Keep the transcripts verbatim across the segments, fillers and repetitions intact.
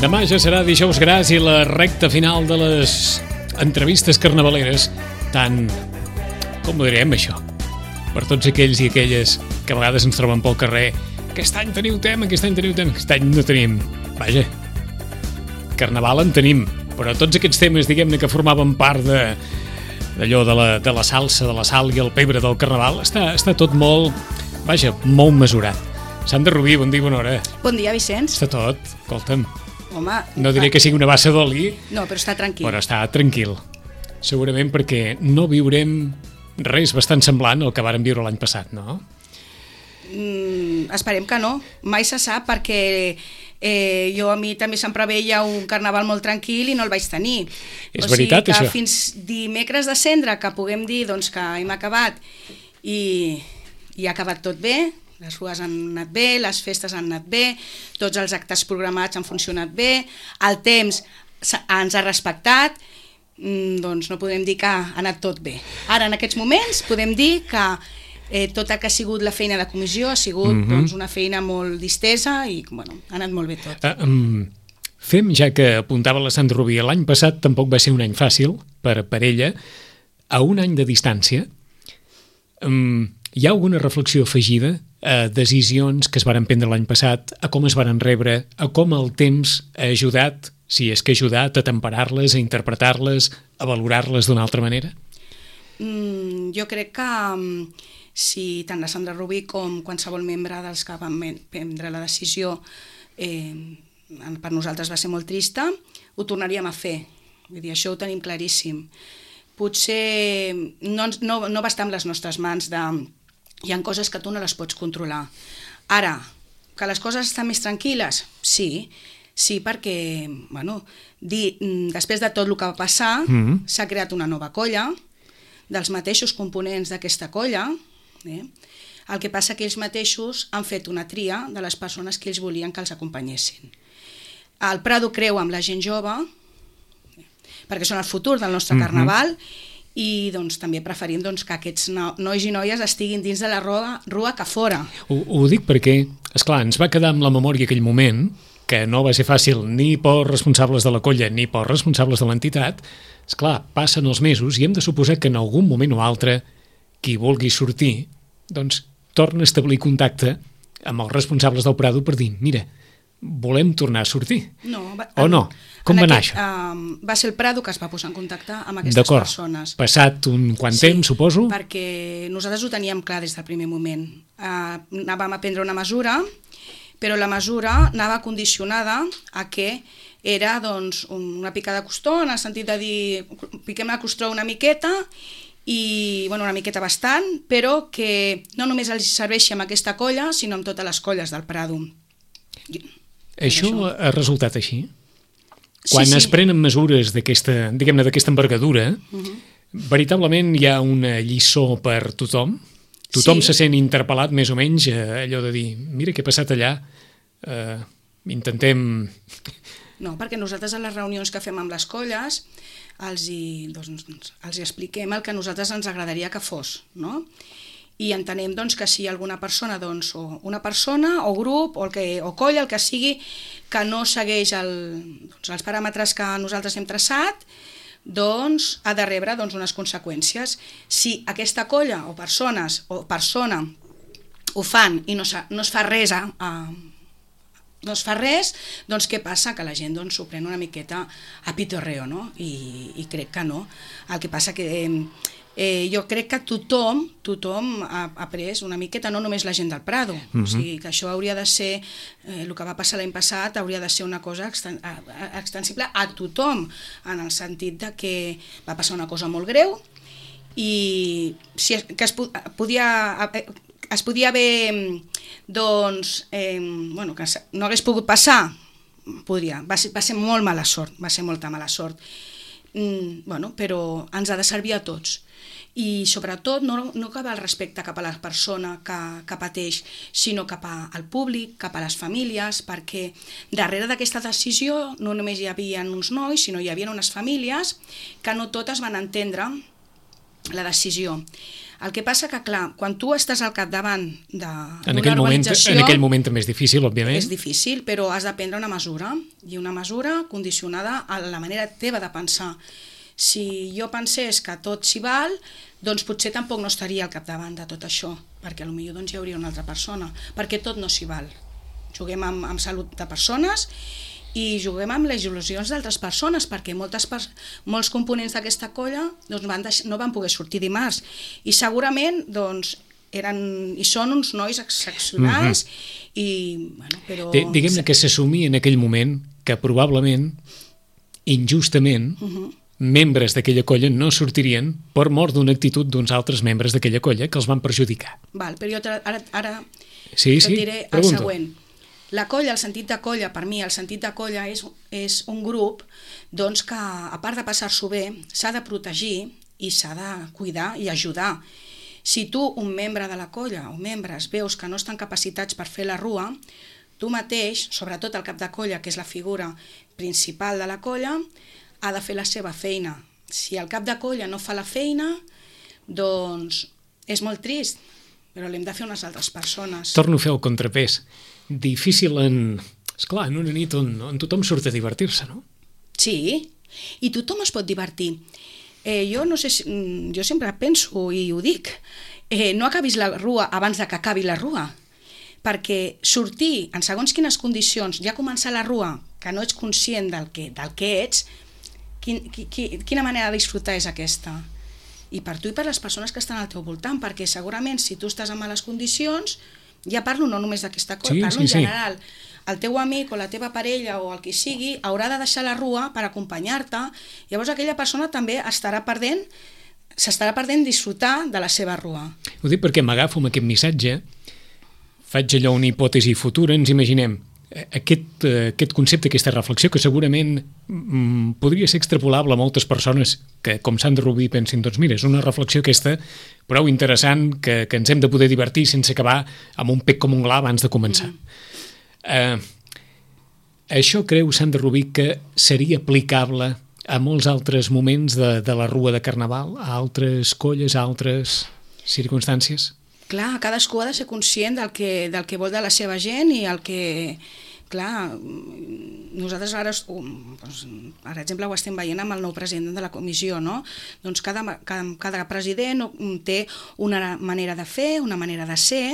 Demà ja serà dijous gras i la recta final de les entrevistes carnavaleres, tant, com ho direm això, per tots aquells i aquelles que a vegades ens troben pel carrer. Aquest any teniu tema, aquest any teniu tema, aquest any no tenim. Vaja, carnaval en tenim, però tots aquests temes, diguem-ne, que formaven part de d'allò de la, de la salsa, de la sal i el pebre del carnaval, està, està tot molt, vaja, molt mesurat. Sandra Rubí, bon dia, bona hora. Bon dia, Vicenç. Està tot, escolta'm. Home, no diré que sigui una bassa d'oli. No, però està tranquil. Però està tranquil. Segurament perquè no viurem res bastant semblant al que vàrem viure l'any passat, no? Mm, esperem que no. Mai se sap, perquè eh, jo a mi també se'm preveia un carnaval molt tranquil i no el vaig tenir. És o veritat, sigui que això? Fins dimecres de cendre, que puguem dir doncs, que hem acabat i, i ha acabat tot bé, les rues han anat bé, les festes han anat bé, tots els actes programats han funcionat bé, el temps ens ha respectat, doncs no podem dir que ha anat tot bé. Ara, en aquests moments, podem dir que eh, tot el que ha sigut la feina de comissió ha sigut mm-hmm. doncs, una feina molt distesa i bueno, ha anat molt bé tot. Uh, um, fem, ja que apuntava la Sandra Rubí, l'any passat tampoc va ser un any fàcil per, per ella, a un any de distància, um, hi ha alguna reflexió afegida a decisions que es varen prendre l'any passat, a com es varen rebre, a com el temps ha ajudat, si és que ha ajudat a temperar-les, a interpretar-les, a valorar-les d'una altra manera? Mm, jo crec que um, si tant la Sandra Rubí com qualsevol membre dels que van prendre la decisió eh, per nosaltres va ser molt trista, ho tornaríem a fer. Vull dir, això ho tenim claríssim. Potser no, no, no va estar en les nostres mans de... Hi ha coses que tu no les pots controlar. Ara, que les coses estan més tranquil·les? Sí, sí, perquè, bueno, di, després de tot el que va passar, mm-hmm. s'ha creat una nova colla, dels mateixos components d'aquesta colla, eh? El que passa que ells mateixos han fet una tria de les persones que ells volien que els acompanyessin. El Prado creu amb la gent jove, eh? perquè són el futur del nostre mm-hmm. carnaval, i doncs, també preferim doncs, que aquests no, nois i noies estiguin dins de la rua, rua que fora. Ho, ho dic perquè, esclar, ens va quedar amb la memòria aquell moment, que no va ser fàcil ni pels responsables de la colla ni pels responsables de l'entitat. Esclar, passen els mesos i hem de suposar que en algun moment o altre qui vulgui sortir doncs torna a establir contacte amb els responsables del Prado per dir, mira, volem tornar a sortir. No, va, o no? Com va anar això? Uh, va ser el Prado que es va posar en contacte amb aquestes persones. Passat un quant sí, temps, suposo? Perquè nosaltres ho teníem clar des del primer moment. Uh, anàvem a prendre una mesura, però la mesura anava condicionada a que era doncs, una pica de costó, en el sentit de dir, piquem la costó una miqueta, i bueno, una miqueta bastant, però que no només els serveixi amb aquesta colla, sinó amb totes les colles del Prado. Això, això ha resultat així? Quan sí, sí. es prenen mesures d'aquesta, diguem-ne, d'aquesta envergadura, uh-huh. veritablement hi ha una lliçó per tothom? Tothom sí. se sent interpel·lat més o menys, eh, allò de dir, mira què ha passat allà, eh, intentem... No, perquè nosaltres a les reunions que fem amb les colles els hi, doncs, els hi expliquem el que a nosaltres ens agradaria que fos, no? I entenem doncs, que si alguna persona, doncs, o una persona, o grup, o, el que, o colla, el que sigui, que no segueix el, doncs, els paràmetres que nosaltres hem traçat, doncs ha de rebre doncs, unes conseqüències. Si aquesta colla o persones o persona ho fan i no, no es fa res a, a no es fa res, doncs què passa? Que la gent doncs, s'ho pren una miqueta a pitorreo, no? I, i crec que no. El que passa que eh, eh, jo crec que tothom, tothom ha, ha pres una miqueta, no només la gent del Prado. Mm-hmm. O sigui, que això hauria de ser, eh, el que va passar l'any passat, hauria de ser una cosa exten, extensible a tothom, en el sentit de que va passar una cosa molt greu i si es, que es podia... es podia haver, doncs, eh, bueno, que no hagués pogut passar, podria, va ser, va ser molt mala sort, va ser molta mala sort, mm, bueno, però ens ha de servir a tots, i sobretot no, no cap al respecte cap a la persona que, que pateix, sinó cap a, al públic, cap a les famílies, perquè darrere d'aquesta decisió no només hi havia uns nois, sinó hi havia unes famílies que no totes van entendre la decisió. El que passa que, clar, quan tu estàs al capdavant d'una organització... En aquell moment també és difícil, òbviament. És difícil, però has de prendre una mesura, i una mesura condicionada a la manera teva de pensar. Si jo pensés que tot s'hi val, doncs potser tampoc no estaria al capdavant de tot això, perquè potser doncs, hi hauria una altra persona, perquè tot no s'hi val. Juguem amb, amb salut de persones i juguem amb les il·lusions d'altres persones, perquè moltes pers molts components d'aquesta colla doncs, van no van poder sortir dimarts, i segurament doncs, eren, i són uns nois excepcionals, mm-hmm. i, bueno, però... Diguem-ne que s'assumia en aquell moment que probablement, injustament, mm-hmm. membres d'aquella colla no sortirien per mort d'una actitud d'uns altres membres d'aquella colla que els van perjudicar. Val, però jo ara, ara sí, sí, et diré el següent. La colla, el sentit de colla, per mi, el sentit de colla és, és un grup doncs, que, a part de passar-s'ho bé, s'ha de protegir i s'ha de cuidar i ajudar. Si tu, un membre de la colla o membres, veus que no estan capacitats per fer la rua, tu mateix, sobretot el cap de colla, que és la figura principal de la colla, ha de fer la seva feina. Si el cap de colla no fa la feina, doncs és molt trist, però l'hem de fer unes altres persones. Torno a fer el contrapès. Difícil en... Esclar, en una nit on, on tothom surt a divertir-se, no? Sí, i tothom es pot divertir. Eh, jo no sé si... Jo sempre penso i ho dic, eh, no acabis la rua abans de que acabi la rua, perquè sortir en segons quines condicions, ja començar la rua, que no ets conscient del que, del que ets, Quin, qui, quina manera de disfrutar és aquesta? I per tu i per les persones que estan al teu voltant, perquè segurament si tu estàs en males condicions, ja parlo no només d'aquesta cosa, sí, parlo sí, en general, sí. El teu amic o la teva parella o el que sigui haurà de deixar la rua per acompanyar-te, llavors aquella persona també estarà perdent, s'estarà perdent disfrutar de la seva rua. Ho dic perquè m'agafo amb aquest missatge, faig allò una hipòtesi futura, ens imaginem Aquest, aquest concepte, aquesta reflexió que segurament mm, podria ser extrapolable a moltes persones que, com Sandra Rubí, pensin, doncs mira, és una reflexió aquesta prou interessant que, que ens hem de poder divertir sense acabar amb un pec com un gla abans de començar. Mm. Uh, això creu Sandra Rubí que seria aplicable a molts altres moments de, de la rua de Carnaval, a altres colles, a altres circumstàncies? Clar, cadascú ha de ser conscient del que, del que vol de la seva gent i el que, clar, nosaltres ara, doncs, per exemple, ho estem veient amb el nou president de la comissió, no? Doncs cada, cada, cada president té una manera de fer, una manera de ser,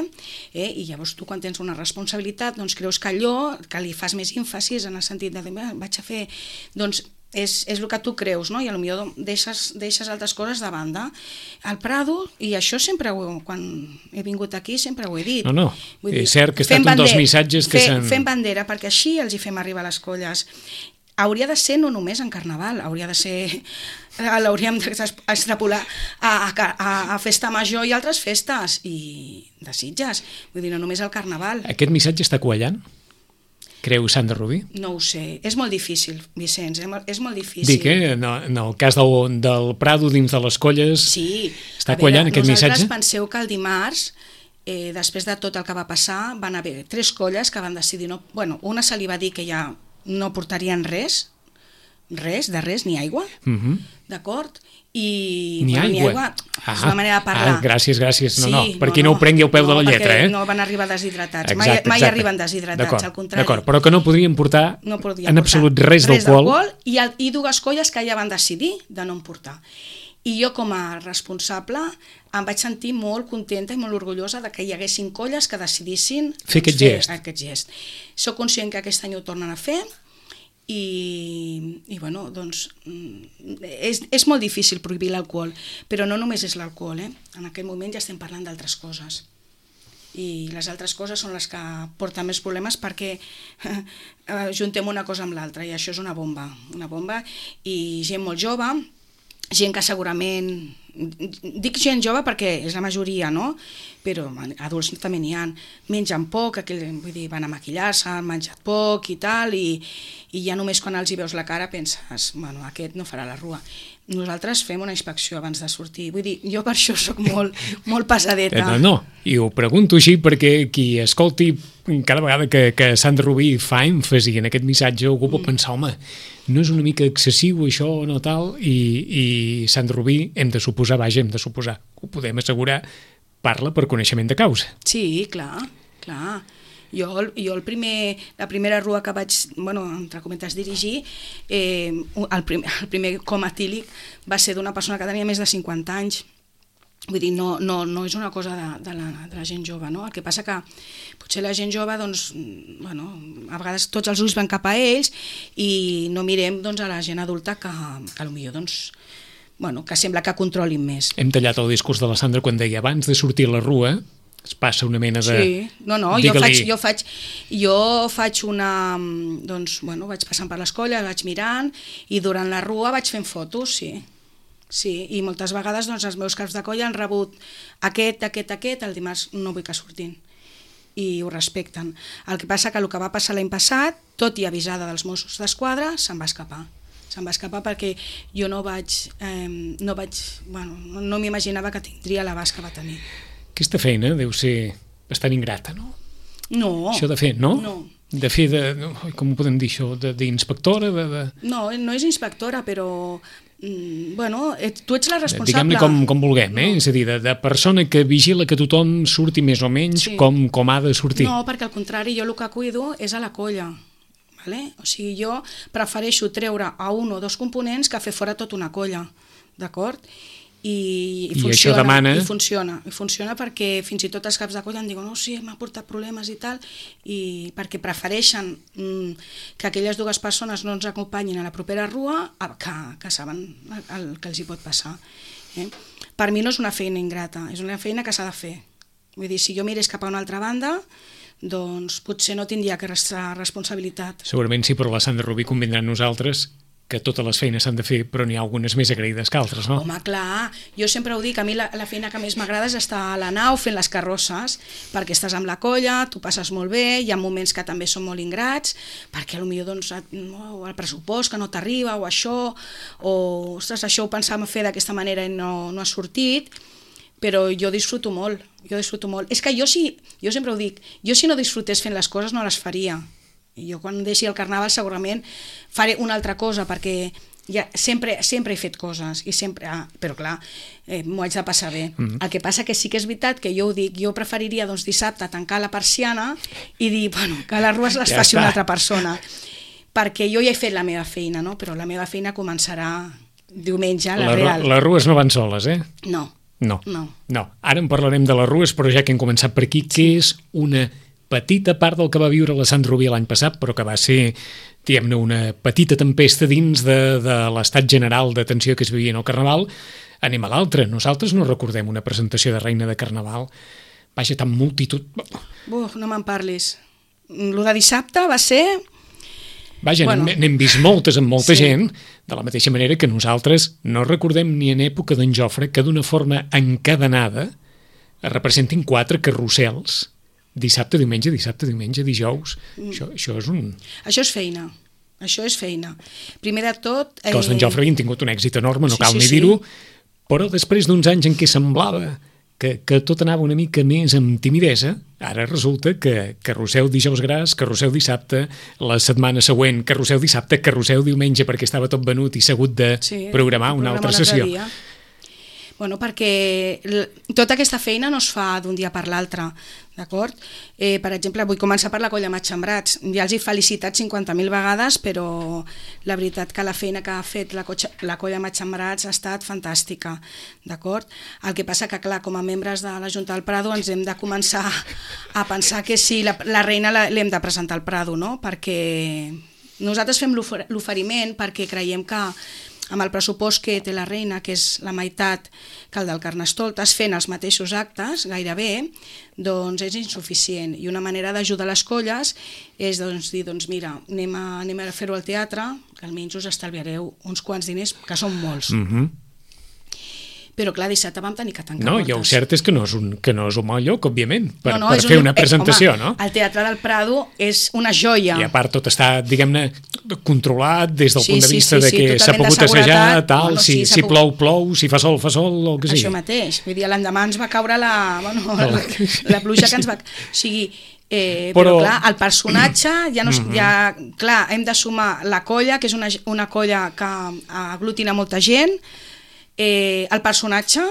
eh? I llavors tu quan tens una responsabilitat doncs creus que allò, que li fas més èmfasis en el sentit de vaig a fer, doncs És, és el que tu creus, no? I potser deixes, deixes altres coses de banda. El Prado, i això sempre ho, quan he vingut aquí sempre ho he dit. No, no, Vull dir, és cert que ha estat un dels missatges que s'han... Fem bandera, perquè així els hi fem arribar a les colles. Hauria de ser no només en Carnaval, hauria de ser... l'hauríem d'extrapolar a, a, a Festa Major i altres festes, i de Sitges. Vull dir, no només al Carnaval. Aquest missatge està quallant? Creu Sandra Rubí? No ho sé, és molt difícil, Vicenç, és molt difícil. Dic, eh, en el cas del, del Prado dins de les colles, sí, està quallant aquest missatge? Vosaltres penseu que el dimarts, eh, després de tot el que va passar, van haver tres colles que van decidir, no, bueno, una se li va dir que ja no portarien res, res, de res, ni aigua, uh-huh. D'acord? I ni, bueno, aigua. ni aigua ah, és una manera de parlar. Ah, gràcies, gràcies. No, sí, no, perquè no, no, no ho prengui al peu no, de la lletra. Eh? No van arribar deshidratats, exacte, mai, mai exacte. arriben deshidratats, al contrari. D'acord, però que no podrien portar no podien en absolut res, res d'alcohol. I, I dues colles que ja van decidir de no en portar. I jo com a responsable em vaig sentir molt contenta i molt orgullosa de que hi haguessin colles que decidissin fer aquest gest. Aquest gest. Soc conscient que aquest any ho tornen a fer, i, i bueno, doncs és, és molt difícil prohibir l'alcohol, però no només és l'alcohol, eh? En aquell moment ja estem parlant d'altres coses, i les altres coses són les que porten més problemes perquè eh, juntem una cosa amb l'altra, i això és una bomba, una bomba, i gent molt jove, gent que segurament, dic gent jove perquè és la majoria, no? Però adults també n'hi ha, mengen poc, aquell, vull dir, van a maquillar-se, han menjat poc i tal, i, i ja només quan els hi veus la cara penses, bueno, aquest no farà la rua. nosaltres fem una inspecció abans de sortir. Vull dir, jo per això sóc molt, molt pesadeta. No, no, i ho pregunto així perquè qui escolti cada vegada que, que Sant Rubí fa èmfasi en aquest missatge algú pot pensar, home, no és una mica excessiu això o no tal, i, i Sant Rubí hem de suposar, vaja, hem de suposar, ho podem assegurar, parla per coneixement de causa. Sí, clar, clar. Jo, jo el primer, la primera rua que vaig, bueno, entre cometes, dirigir, eh, el, primer, el primer coma etílic va ser d'una persona que tenia més de cinquanta anys. Vull dir, no, no, no és una cosa de, de, la, de la gent jove, no? El que passa que potser la gent jove, doncs, bueno, a vegades tots els ulls van cap a ells i no mirem, doncs, a la gent adulta que, que potser, doncs, bueno, que sembla que controlin més. Hem tallat el discurs de la Sandra quan deia abans de sortir a la rua es passa una mena de... Sí, no, no, jo faig, jo faig, jo faig una... Doncs, bueno, vaig passant per les colles, vaig mirant i durant la rua vaig fent fotos, sí. Sí, i moltes vegades doncs, els meus caps de colla han rebut aquest, aquest, aquest, el dimarts no vull que surtin. I ho respecten. El que passa que el que va passar l'any passat, tot i avisada dels Mossos d'Esquadra, se'n va escapar. Se'n va escapar perquè jo no vaig... Eh, no vaig bueno, no m'imaginava que tindria l'abast que va tenir. Aquesta feina deu ser bastant ingrata, no? No. Això de fer, no? No. De fer de... Com ho podem dir, això? D'inspectora? De, de... No, no és inspectora, però... Mm, bueno, et, tu ets la responsable. Diguem-ne com, com vulguem, eh? No. És a dir, de, de persona que vigila que tothom surti més o menys sí. com, com ha de sortir. No, perquè al contrari, jo el que cuido és a la colla. Vale? O sigui, jo prefereixo treure a un o dos components que fer fora tota una colla. D'acord? I, i, I funciona, això demana... i funciona, i funciona perquè fins i tot els caps de colla em diuen no, sí, m'ha portat problemes i tal, i perquè prefereixen mm, que aquelles dues persones no ens acompanyin a la propera rua que, que saben el, el que els hi pot passar. Eh? Per mi no és una feina ingrata, és una feina que s'ha de fer. Vull dir, si jo mirés cap a una altra banda, doncs potser no tindria que restar responsabilitat. Segurament sí, però la Sandra Rubí convindrà amb nosaltres que totes les feines s'han de fer, però n'hi ha algunes més agraïdes que altres, no? Home, clar, jo sempre ho dic, a mi la, la feina que més m'agrada és estar a la nau fent les carrosses, perquè estàs amb la colla, tu passes molt bé, hi ha moments que també són molt ingrats, perquè potser doncs, no, el pressupost que no t'arriba, o això, o ostres, això ho pensàvem fer d'aquesta manera i no, no ha sortit, però jo disfruto molt, jo disfruto molt. És que jo, si, jo sempre ho dic, jo si no disfrutés fent les coses no les faria. Jo quan deixi el carnaval segurament faré una altra cosa perquè ja sempre, sempre he fet coses i sempre, ah, però clar, eh, m'ho haig de passar bé. Mm-hmm. El que passa que sí que és veritat que jo ho dic, jo preferiria doncs, dissabte tancar la persiana i dir bueno, que les rues les ja faci està. Una altra persona, perquè jo ja he fet la meva feina, no? Però la meva feina començarà diumenge, la, la real. Les rues no van soles, eh? No. No. no. no. Ara en parlarem de les rues, però ja que hem començat per aquí, sí. Què és una petita part del que va viure la Sant Rubí l'any passat, però que va ser, diguem-ne, una petita tempesta dins de, de l'estat general de tensió que es vivia en el Carnaval. Anem a l'altre. Nosaltres no recordem una presentació de Reina de Carnaval. Vaja, tan multitud... Uf, no me'n parlis. Lo de dissabte va ser... Vaja, bueno, n'hem vist moltes amb molta sí. gent, de la mateixa manera que nosaltres no recordem ni en època d'en Jofre que d'una forma encadenada es representin quatre carrusels dissabte, diumenge, dissabte, diumenge, dijous. Mm. Això, això és un... Això és feina. Això és feina. Primer de tot... Eh... Que els d'en Jofre havien tingut un èxit enorme, no sí, cal sí, ni sí. dir-ho, però després d'uns anys en què semblava que, que tot anava una mica més amb timidesa, ara resulta que carrusel dijous gras, carrusel dissabte, la setmana següent carrusel dissabte, carrusel diumenge, perquè estava tot venut i s'ha hagut de sí, programar una altra sessió. Dia. Bueno, perquè tota aquesta feina no es fa d'un dia per l'altre, d'acord? Eh, per exemple, vull començar per la colla Matxembrats. Ja els he felicitat cinquanta mil vegades, però la veritat que la feina que ha fet la, colla, la colla Matxembrats ha estat fantàstica, d'acord? El que passa que, clar, com a membres de la Junta del Prado ens hem de començar a pensar que sí, la, la reina l'hem de presentar al Prado, no? Perquè nosaltres fem l'oferiment perquè creiem que amb el pressupost que té la reina, que és la meitat que el del Carnestoltes, fent els mateixos actes, gairebé, doncs és insuficient. I una manera d'ajudar les colles és doncs, dir, doncs mira, anem a, anem a fer-ho al teatre, que almenys us estalviareu uns quants diners, que són molts. Mm-hmm. Però clar, dissabte vam tenir que tancar no, portes. I el cert és que no és un, que no és un mal lloc, òbviament, per, no, no, per fer un, una presentació, eh, home, no? El Teatre del Prado és una joia. I a part tot està, diguem-ne, controlat des del sí, punt de sí, vista sí, de que sí, s'ha pogut assajar, tal, bueno, si, sí, si plou, plou, si fa sol, fa sol, o el que sigui. Això mateix, vull dir, l'endemà ens va caure la, bueno, la, la pluja que ens va... O sigui, Eh, però, però clar, el personatge ja no, mm-hmm. ja, clar, hem de sumar la colla, que és una, una colla que aglutina molta gent, eh, el personatge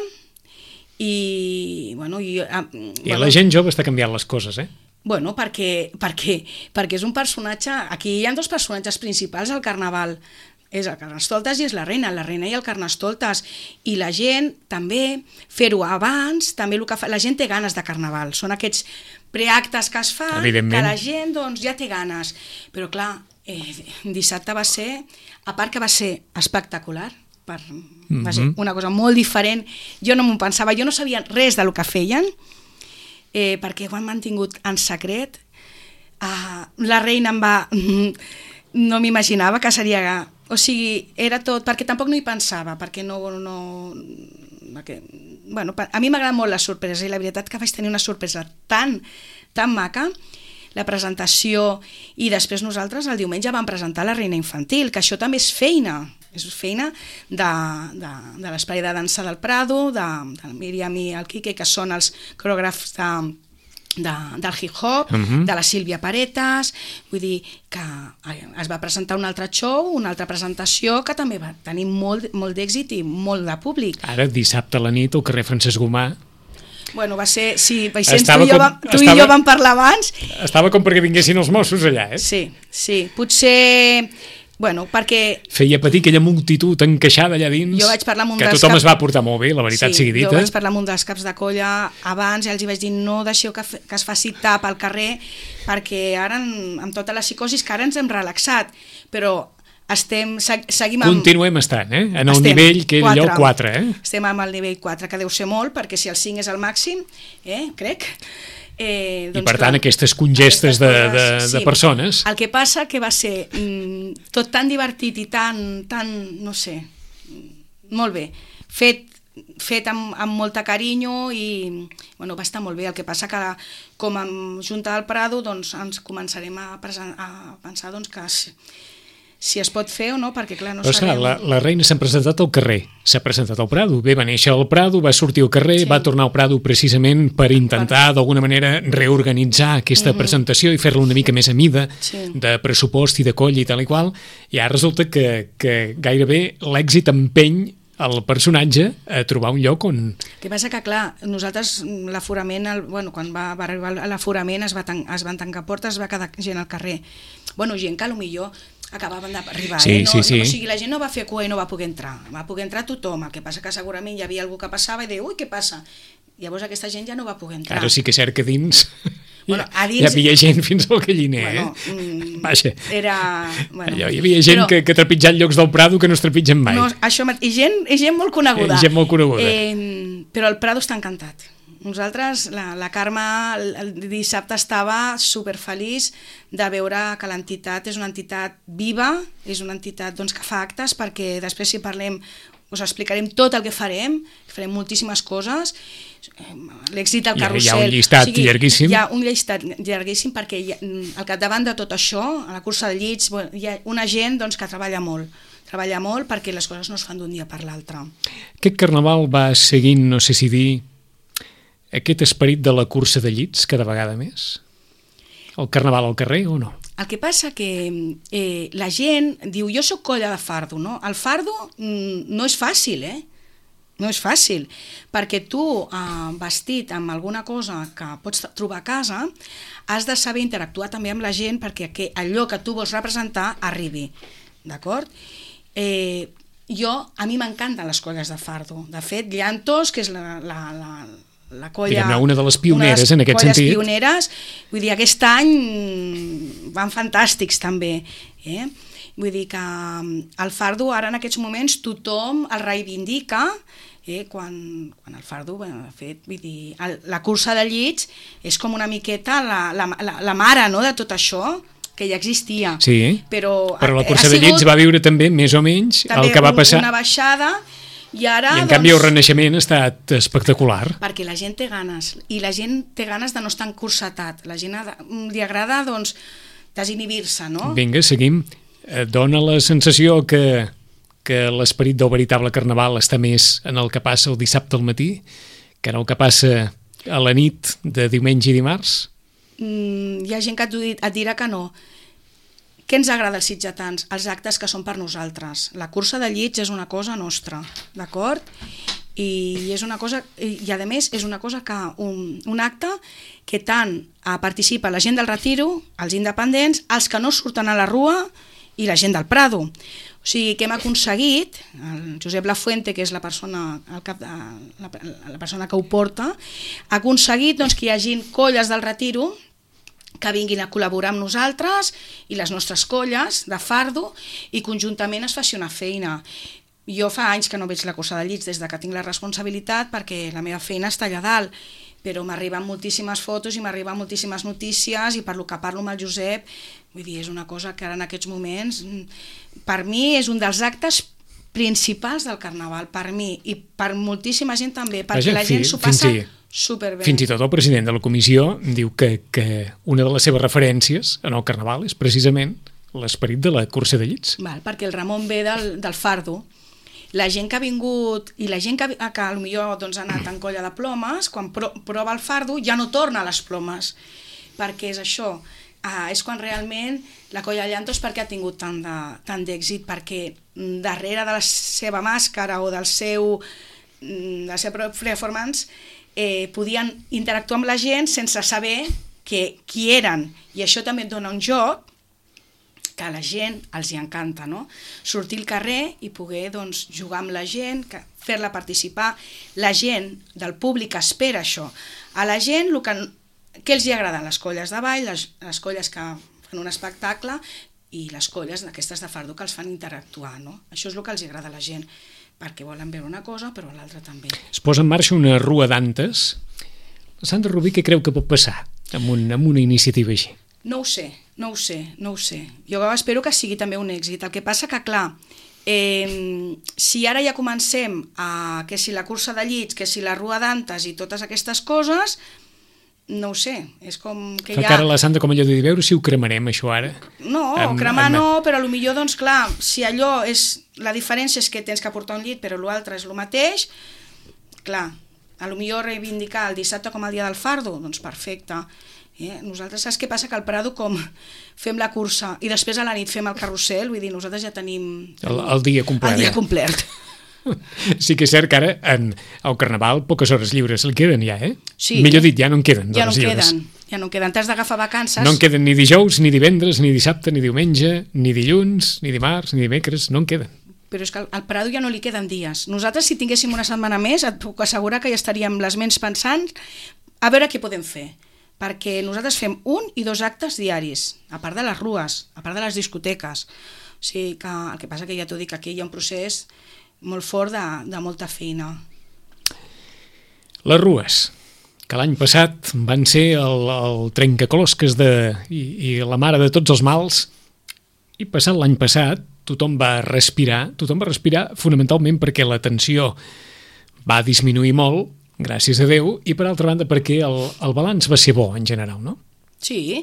i bueno i, i bueno, la gent jove està canviant les coses, eh? Bueno, perquè, perquè, perquè és un personatge, aquí hi ha dos personatges principals al Carnaval, és el Carnestoltes i és la reina, la reina i el Carnestoltes, i la gent també, fer-ho abans, també el que fa, la gent té ganes de Carnaval, són aquests preactes que es fan, que la gent doncs, ja té ganes, però clar, eh, dissabte va ser, a part que va ser espectacular, per, mm-hmm. va ser una cosa molt diferent, jo no m'ho pensava, jo no sabia res del que feien, eh, perquè ho han mantingut en secret, uh, la reina em va... no m'imaginava que seria... O sigui, era tot... Perquè tampoc no hi pensava, perquè no... no perquè, bueno, a mi m'agrada molt la sorpresa i la veritat que vaig tenir una sorpresa tan, tan maca, la presentació, i després nosaltres el diumenge vam presentar la Reina Infantil, que això també és feina, és feina de, de, de l'Espai de Dansa del Prado, de, de la Míriam i el Quique, que són els coreògrafs de... De, del hip-hop, uh-huh. de la Sílvia Paretas, vull dir que es va presentar un altre show, una altra presentació que també va tenir molt, molt d'èxit i molt de públic. Ara, dissabte a la nit, al carrer Francesc Gomà... Bueno, va ser... Sí, Vicenç, tu, i jo, vam, tu estava, i jo vam parlar abans... Estava com perquè vinguessin els Mossos allà, eh? Sí, sí, potser... Bueno, perquè... Feia patir aquella multitud encaixada allà dins, jo vaig parlar amb un que dels tothom cap... es va portar molt bé, la veritat sí, sigui dita. Jo vaig parlar amb un dels caps de colla abans i els hi vaig dir no deixeu que, fe... que es faci tap al carrer, perquè ara, amb tota la psicosis, que ara ens hem relaxat, però estem, seguim amb... Continuem estant, eh? En el estem, nivell que era allò quatre, eh? Estem amb el nivell quatre, que deu ser molt, perquè si el cinc és el màxim, eh, crec... Eh, doncs I per tant clar, aquestes congestes de, de, sí. de persones. El que passa que va ser mm, tot tan divertit i tan, tan no sé, molt bé, fet, fet amb, amb molta carinyo i bueno, va estar molt bé. El que passa que com a Junta del Prado doncs, ens començarem a, presen- a pensar doncs, que si, si es pot fer o no, perquè clar, no Però, sabem... la, la reina s'ha presentat al carrer, s'ha presentat al Prado, bé, va néixer al Prado, va sortir al carrer, sí. va tornar al Prado precisament per intentar d'alguna manera reorganitzar aquesta mm-hmm. presentació i fer-la una mica més a mida sí. de pressupost i de coll i tal i qual, i ara resulta que, que gairebé l'èxit empeny el personatge a trobar un lloc on... El que passa que, clar, nosaltres l'aforament, el, bueno, quan va, va arribar l'aforament es, va tan, es van tancar portes, es va quedar gent al carrer. Bueno, gent que potser acabaven d'arribar, sí, eh? No, sí, sí. no, o sigui, la gent no va fer cua i no va poder entrar, va poder entrar tothom, el que passa que segurament hi havia algú que passava i deia, ui, què passa? Llavors aquesta gent ja no va poder entrar. Ara sí que és cert que dins, bueno, a dins... hi havia gent fins al galliner, bueno, eh? Mm, Vaja, era... Bueno, allò, hi havia gent però... que, que trepitjat llocs del Prado que no es trepitgen mai. No, això, i, gent, i gent molt coneguda. I gent molt coneguda. Eh, però el Prado està encantat. Nosaltres, la, la Carme el, el dissabte estava superfeliç de veure que l'entitat és una entitat viva, és una entitat doncs, que fa actes, perquè després si parlem us explicarem tot el que farem, farem moltíssimes coses, l'èxit del carrusel... Hi ha un llistat o sigui, llarguíssim. Hi ha un llistat llarguíssim perquè hi ha, al capdavant de tot això, a la cursa de llits, bueno, hi ha una gent doncs, que treballa molt, treballa molt perquè les coses no es fan d'un dia per l'altre. Aquest carnaval va seguint, no sé si dir, aquest esperit de la cursa de llits cada vegada més? El carnaval al carrer o no? El que passa que eh, la gent diu, jo sóc colla de fardo, no? El fardo mm, no és fàcil, eh? No és fàcil, perquè tu, eh, vestit amb alguna cosa que pots trobar a casa, has de saber interactuar també amb la gent perquè que allò que tu vols representar arribi, d'acord? Eh, jo, a mi m'encanten les colles de fardo. De fet, Llantos, que és la... la, la la colla, diguem-ne, una de les pioneres les en aquest colles sentit. Pioneres, vull dir, aquest any van fantàstics també, eh? Vull dir que el fardo ara en aquests moments tothom el reivindica, eh? quan, quan el fardo, bueno, de fet, vull dir, el, la cursa de llits és com una miqueta la, la, la, la mare, no?, de tot això, que ja existia. Sí, però, però la cursa de llits va viure també, més o menys, el que va passar... una baixada. I, ara, I en doncs, canvi el renaixement ha estat espectacular. perquè la gent té ganes, i la gent té ganes de no estar encursetat. La gent ha de, li agrada, doncs, desinhibir-se, no? Vinga, seguim. Eh, Dóna la sensació que, que l'esperit del veritable carnaval està més en el que passa el dissabte al matí que en el que passa a la nit de diumenge i dimarts? Mm, hi ha gent que et, di- et dirà que no. Què ens agrada als sitgetans? Els actes que són per nosaltres. La cursa de llits és una cosa nostra, d'acord? I és una cosa, i a més és una cosa que un, un acte que tant eh, participa la gent del Retiro, els independents, els que no surten a la Rua i la gent del Prado. O sigui, que hem aconseguit, el Josep Lafuente, que és la persona, el cap de, la, la persona que ho porta, ha aconseguit, doncs, que hi hagi colles del Retiro que vinguin a col·laborar amb nosaltres i les nostres colles de fardo i conjuntament es faci una feina. Jo fa anys que no veig la cursa de llits des de que tinc la responsabilitat perquè la meva feina està allà dalt, però m'arriben moltíssimes fotos i m'arriben moltíssimes notícies i per lo que parlo amb el Josep, vull dir, és una cosa que ara en aquests moments, per mi és un dels actes principals del Carnaval, per mi i per moltíssima gent també, perquè Vaja, la gent fi- s'ho passa fins i- superbé. Fins i tot el president de la comissió diu que, que una de les seves referències en el Carnaval és precisament l'esperit de la cursa de llits. Val, perquè el Ramon ve del, del fardo. La gent que ha vingut i la gent que, que potser doncs, ha anat en colla de plomes, quan pro, prova el fardo ja no torna a les plomes, perquè és això, ah, és quan realment la colla de llantos perquè ha tingut tant de, tant d'èxit, perquè darrere de la seva màscara o del seu, de la seva performance eh, podien interactuar amb la gent sense saber que, qui eren, i això també et dona un joc que a la gent els hi encanta, no? Sortir al carrer i poder, doncs, jugar amb la gent, que- fer-la participar. La gent del públic espera això. A la gent, el que, què els hi agrada? Les colles de ball, les, les colles que fan un espectacle i les colles d'aquestes de fardo que els fan interactuar, no? Això és el que els hi agrada a la gent, perquè volen veure una cosa, però l'altra també. Es posa en marxa una rua d'antes. La Sandra Rubí, què creu que pot passar amb, un, amb una iniciativa així? No ho sé, no ho sé, no ho sé. Jo espero que sigui també un èxit. El que passa que, clar, eh, si ara ja comencem a que si la cursa de llits, que si la rua d'antes i totes aquestes coses, no ho sé, és com que Fa ja... cara la Sandra com allò de dir, veure si ho cremarem, això ara. No, Amb- cremar amb- no, però potser, doncs clar, si allò és... La diferència és que tens que portar un llit, però l'altre és el mateix, clar, a lo millor reivindicar el dissabte com el dia del fardo, doncs perfecte. Eh? Nosaltres, saps què passa? Que al Prado, com fem la cursa i després a la nit fem el carrusel, vull dir, nosaltres ja tenim... El, el dia complet. El dia complet. Sí que és cert que ara en el Carnaval poques hores lliures li queden ja, eh? Sí. Millor dit, ja no en queden Ja no d'hores en lliures. queden, ja no en queden. T'has d'agafar vacances. No en queden ni dijous, ni divendres, ni dissabte, ni diumenge, ni dilluns, ni dimarts, ni dimecres, no en queden. Però és que al Prado ja no li queden dies. Nosaltres, si tinguéssim una setmana més, et puc assegurar que ja estaríem les ments pensant a veure què podem fer. Perquè nosaltres fem un i dos actes diaris, a part de les rues, a part de les discoteques. O sigui que el que passa que ja t'ho dic, aquí hi ha un procés molt fort de, de molta feina. Les rues, que l'any passat van ser el, el trencaclosques de, i, i la mare de tots els mals, i passat l'any passat tothom va respirar, tothom va respirar fonamentalment perquè la tensió va disminuir molt, gràcies a Déu, i per altra banda perquè el, el balanç va ser bo en general, no? Sí,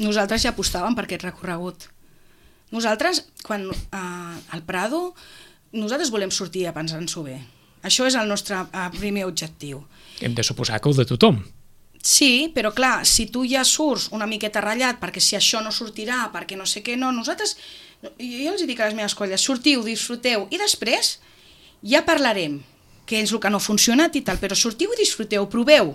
nosaltres ja apostàvem per aquest recorregut. Nosaltres, quan eh, al Prado, nosaltres volem sortir a pensar-nos-ho bé. Això és el nostre eh, primer objectiu. Hem de suposar que el de tothom. Sí, però clar, si tu ja surts una miqueta ratllat perquè si això no sortirà, perquè no sé què, no, nosaltres, jo els dic a les meves colles, sortiu, disfruteu, i després ja parlarem què és el que no ha funcionat i tal, però sortiu i disfruteu, proveu,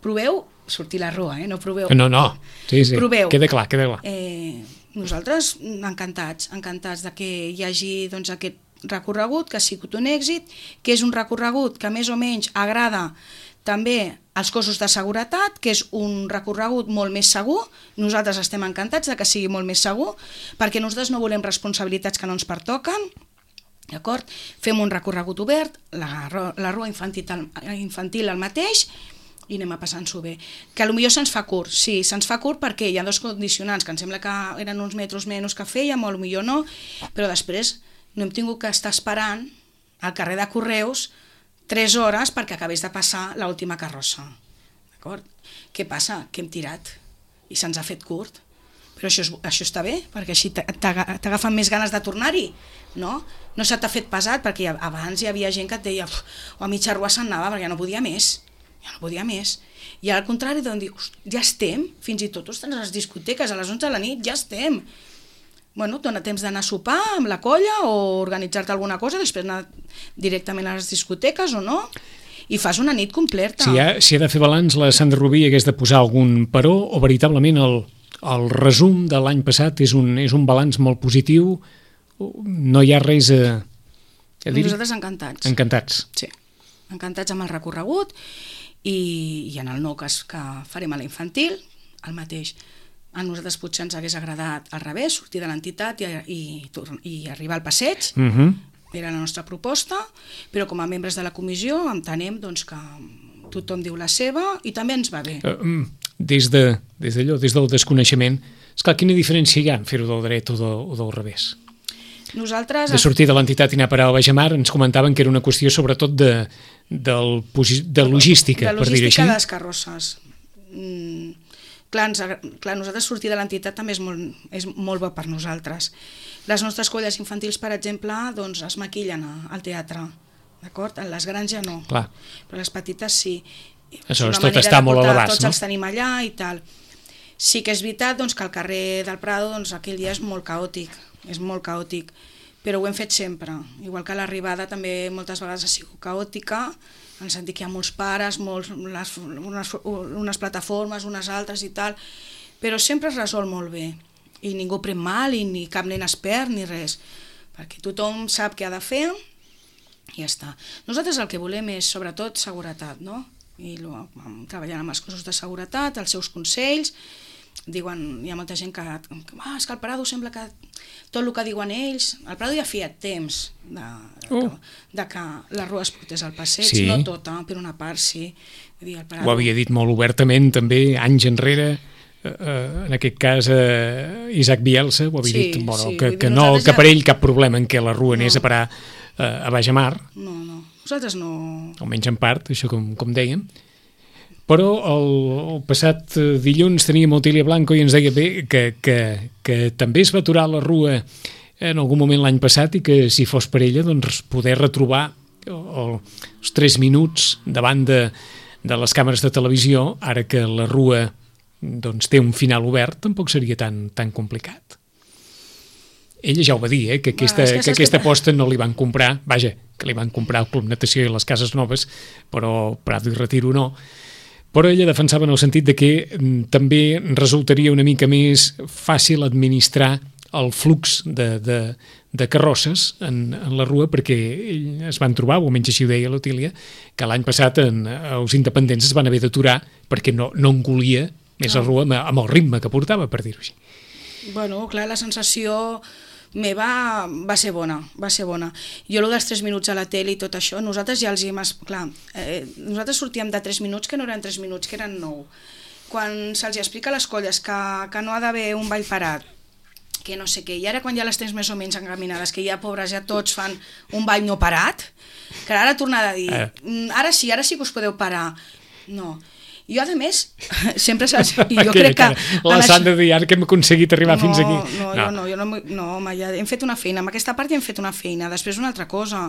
proveu sortir la rua, eh? No proveu. No, no, sí, sí, Proveu. queda clar, queda clar. Eh, nosaltres encantats, encantats de que hi hagi doncs, aquest recorregut, que ha sigut un èxit, que és un recorregut que més o menys agrada també als cossos de seguretat, que és un recorregut molt més segur. Nosaltres estem encantats de que sigui molt més segur, perquè nosaltres no volem responsabilitats que no ens pertoquen, d'acord? Fem un recorregut obert, la, la rua infantil, infantil el mateix, i anem a passar-nos-ho bé. Que potser se'ns fa curt, sí, se'ns fa curt perquè hi ha dos condicionants, que em sembla que eren uns metres menys que fèiem, o potser no, però després no hem tingut que estar esperant al carrer de Correus tres hores perquè acabés de passar l'última carrossa. D'acord? Què passa? Que hem tirat i se'ns ha fet curt. Però això, és, això està bé, perquè així t'agafen més ganes de tornar-hi, no? No se t'ha fet pesat, perquè abans hi havia gent que et deia o a mitja rua se'n anava perquè ja no podia més, ja no podia més. I al contrari, doncs dius, ja estem, fins i tot ostres, a les discoteques, a les onze de la nit, ja estem. Bueno, et dona temps d'anar a sopar amb la colla o organitzar-te alguna cosa, després anar directament a les discoteques o no, i fas una nit completa. Si ha, si ha de fer balanç, la Sandra Rubí hagués de posar algun paró o veritablement el... El resum de l'any passat és un, és un balanç molt positiu, no hi ha res a, a dir. Nosaltres encantats. Encantats. Sí, encantats amb el recorregut i, i en el nou que, que farem a la infantil, el mateix. A nosaltres potser ens hagués agradat al revés, sortir de l'entitat i, i, i arribar al passeig, uh -huh. era la nostra proposta, però com a membres de la comissió entenem doncs, que tothom diu la seva i també ens va bé. Uh, des de, des d'allò, des del desconeixement, esclar, quina diferència hi ha en fer-ho del dret o, de, o del revés? Nosaltres... De sortir de l'entitat i anar a parar al Baixamar, ens comentaven que era una qüestió sobretot de, del, de logística, de per dir-ho així. De logística de les carrosses. Mm, clar, ens, clar, nosaltres sortir de l'entitat també és molt, és molt bo per nosaltres. Les nostres colles infantils, per exemple, doncs es maquillen al teatre, d'acord? Les grans ja no, clar. Però les petites sí. Aleshores, tot està molt a l'abast, tots no? els tenim allà i tal. Sí que és veritat doncs, que el carrer del Prado doncs, aquell dia és molt caòtic, és molt caòtic, però ho hem fet sempre. Igual que l'arribada també moltes vegades ha sigut caòtica, en el sentit que hi ha molts pares, molts, les, unes, unes plataformes, unes altres i tal, però sempre es resol molt bé. I ningú pren mal, i ni cap nen es perd, ni res, perquè tothom sap què ha de fer i ja està. Nosaltres el que volem és, sobretot, seguretat, no? I treballant amb els cossos de seguretat, els seus consells, diuen, hi ha molta gent que, ah, és que al Prado sembla que tot el que diuen ells, al Prado ja feia temps de, de, uh. de que la rua es portés al passeig, sí. No tota, per una part sí. Vull dir, el Prado... Ho havia dit molt obertament també, anys enrere, eh, en aquest cas eh, Isaac Bielsa, ho havia sí, dit, bueno, sí. que, Dir, que, no, que ja... per ell cap problema en què la rua no. anés a parar eh, a Baixamar. No, no, nosaltres no... Almenys en part, això com, com dèiem. Però el, el passat dilluns teníem Otília Blanco i ens deia bé que, que, que també es va aturar la rua en algun moment l'any passat i que si fos per ella doncs poder retrobar el, els tres minuts davant de, de les càmeres de televisió, ara que la rua doncs, té un final obert, tampoc seria tan, tan complicat. Ella ja ho va dir, eh, que aquesta, bueno, que que aquesta que... aposta no li van comprar, vaja, que li van comprar el Club Natació i les Cases Noves, però Prado i Retiro no. Però ella defensava en el sentit de que mm, també resultaria una mica més fàcil administrar el flux de, de, de carrosses en, en la rua, perquè es van trobar, o almenys així ho deia l'Otília, que l'any passat en, els independents es van haver d'aturar perquè no, no engolia més la rua amb, amb el ritme que portava, per dir-ho així. Bueno, clar, la sensació meva va ser bona, va ser bona. Jo, el dels tres minuts a la tele i tot això, nosaltres ja els hi hem... Clar, eh, nosaltres sortíem de tres minuts que no eren tres minuts, que eren nou. Quan se'ls explica a les colles que, que no ha d'haver un ball parat, que no sé què, i ara quan ja les tens més o menys encaminades, que ja, pobres, ja tots fan un ball no parat, que ara tornar a dir, eh. ara sí, ara sí que us podeu parar. No. Jo, a més, sempre saps... Jo crec que... La Sandra de dir, ara que hem aconseguit arribar no, fins aquí. No, no, jo no, jo no, no home, ja hem fet una feina, amb aquesta part ja hem fet una feina, després una altra cosa.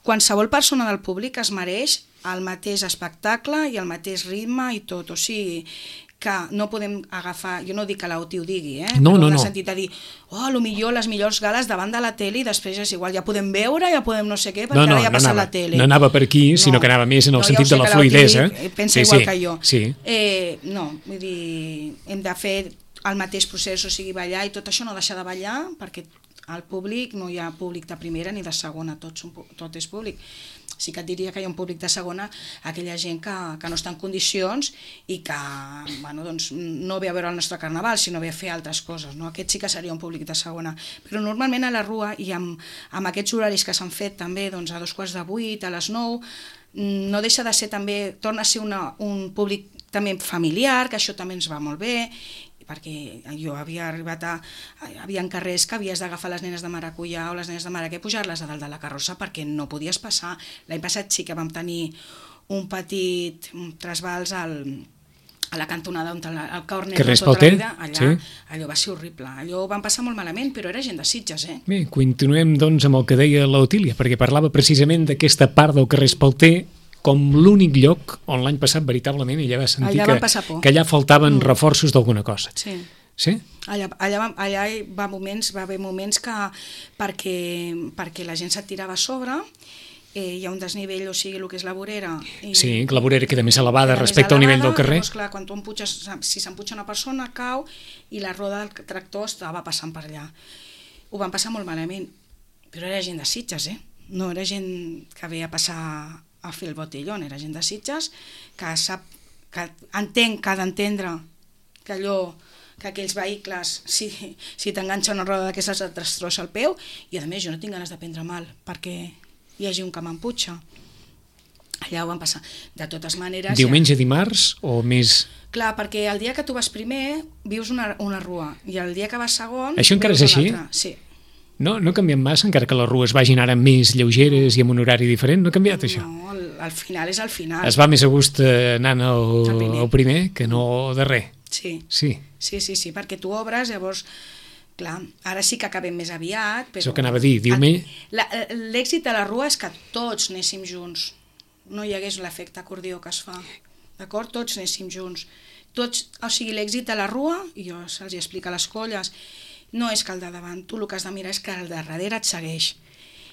Qualsevol persona del públic es mereix el mateix espectacle i el mateix ritme i tot, o sigui, que no podem agafar, jo no dic que l'O T I ho digui, eh? No, però no, en el no. sentit de dir, oh, a lo millor les millors gales davant de la tele i després és igual, ja podem veure, ja podem no sé què, perquè no, no, ara ja ha passat no anava, la tele. No anava per aquí, sinó no, que anava més en el no, sentit ja de la fluidesa. Pensa sí, igual sí, que jo. Sí. Eh, no, vull dir, hem de fer el mateix procés, o sigui, ballar i tot això, no deixar de ballar, perquè al públic no hi ha públic de primera ni de segona, tot, són, tot és públic. Sí que et diria que hi ha un públic de segona, aquella gent que, que no està en condicions i que bueno, doncs, no ve a veure el nostre carnaval, sinó ve a fer altres coses. No? Aquest sí que seria un públic de segona. Però normalment a la rua, i amb, amb aquests horaris que s'han fet també doncs, a dos quarts de vuit, a les nou, no deixa de ser també, torna a ser una, un públic també familiar, que això també ens va molt bé, perquè jo havia arribat a... Hi havia carrers que havies d'agafar les nenes de maracuyà o les nenes de maraquer i pujar-les a dalt de la carrossa perquè no podies passar. L'any passat sí que vam tenir un petit trasbals al, a la cantonada on el, el Cornet de tota la vida, allà, sí. Allò va ser horrible. Allò ho van passar molt malament, però era gent de Sitges, eh? Bé, continuem doncs amb el que deia l'Otília, perquè parlava precisament d'aquesta part del carrer Espalter com l'únic lloc on l'any passat veritablement ella va sentir allà que, que allà faltaven mm. reforços d'alguna cosa. Sí. Sí? Allà, allà, allà va, moments, va haver moments que perquè, perquè la gent se't tirava a sobre, eh, hi ha un desnivell, o sigui, el que és la vorera. I, sí, que la vorera queda més elevada respecte al nivell del carrer. Llavors, clar, quan tu empuixes, si s'empuja una persona, cau, i la roda del tractor estava passant per allà. Ho van passar molt malament, però era gent de Sitges, eh? No era gent que ve a passar a fer el botellón, era gent de Sitges que sap, que entenc, que ha d'entendre que allò, que aquells vehicles, si, si t'enganxa una roda d'aquestes et destrossa el peu, i a més jo no tinc ganes de prendre mal perquè hi hagi un que m'emputxa. Allà ho van passar. De totes maneres... Diumenge, ja... dimarts o més... Clar, perquè el dia que tu vas primer vius una, una rua, i el dia que vas segon... Això encara és així? Sí. No, no ha canviat massa, encara que les rues vagin ara més lleugeres i amb un horari diferent? No ha canviat això? No, al, al final és al final. Es va més a gust anant al, primer. al primer que no darrer. Sí. Sí. Sí, sí, sí, perquè tu obres, llavors, clar, ara sí que acabem més aviat. Però això que anava a dir, diumenge... L'èxit de la rua és que tots anéssim junts, no hi hagués l'efecte acordió que es fa, d'acord? Tots anéssim junts. Tots, o sigui, l'èxit de la rua, i jo se'ls explica a les colles, no és que el de davant, tu el que has de mirar és que el de darrere et segueix.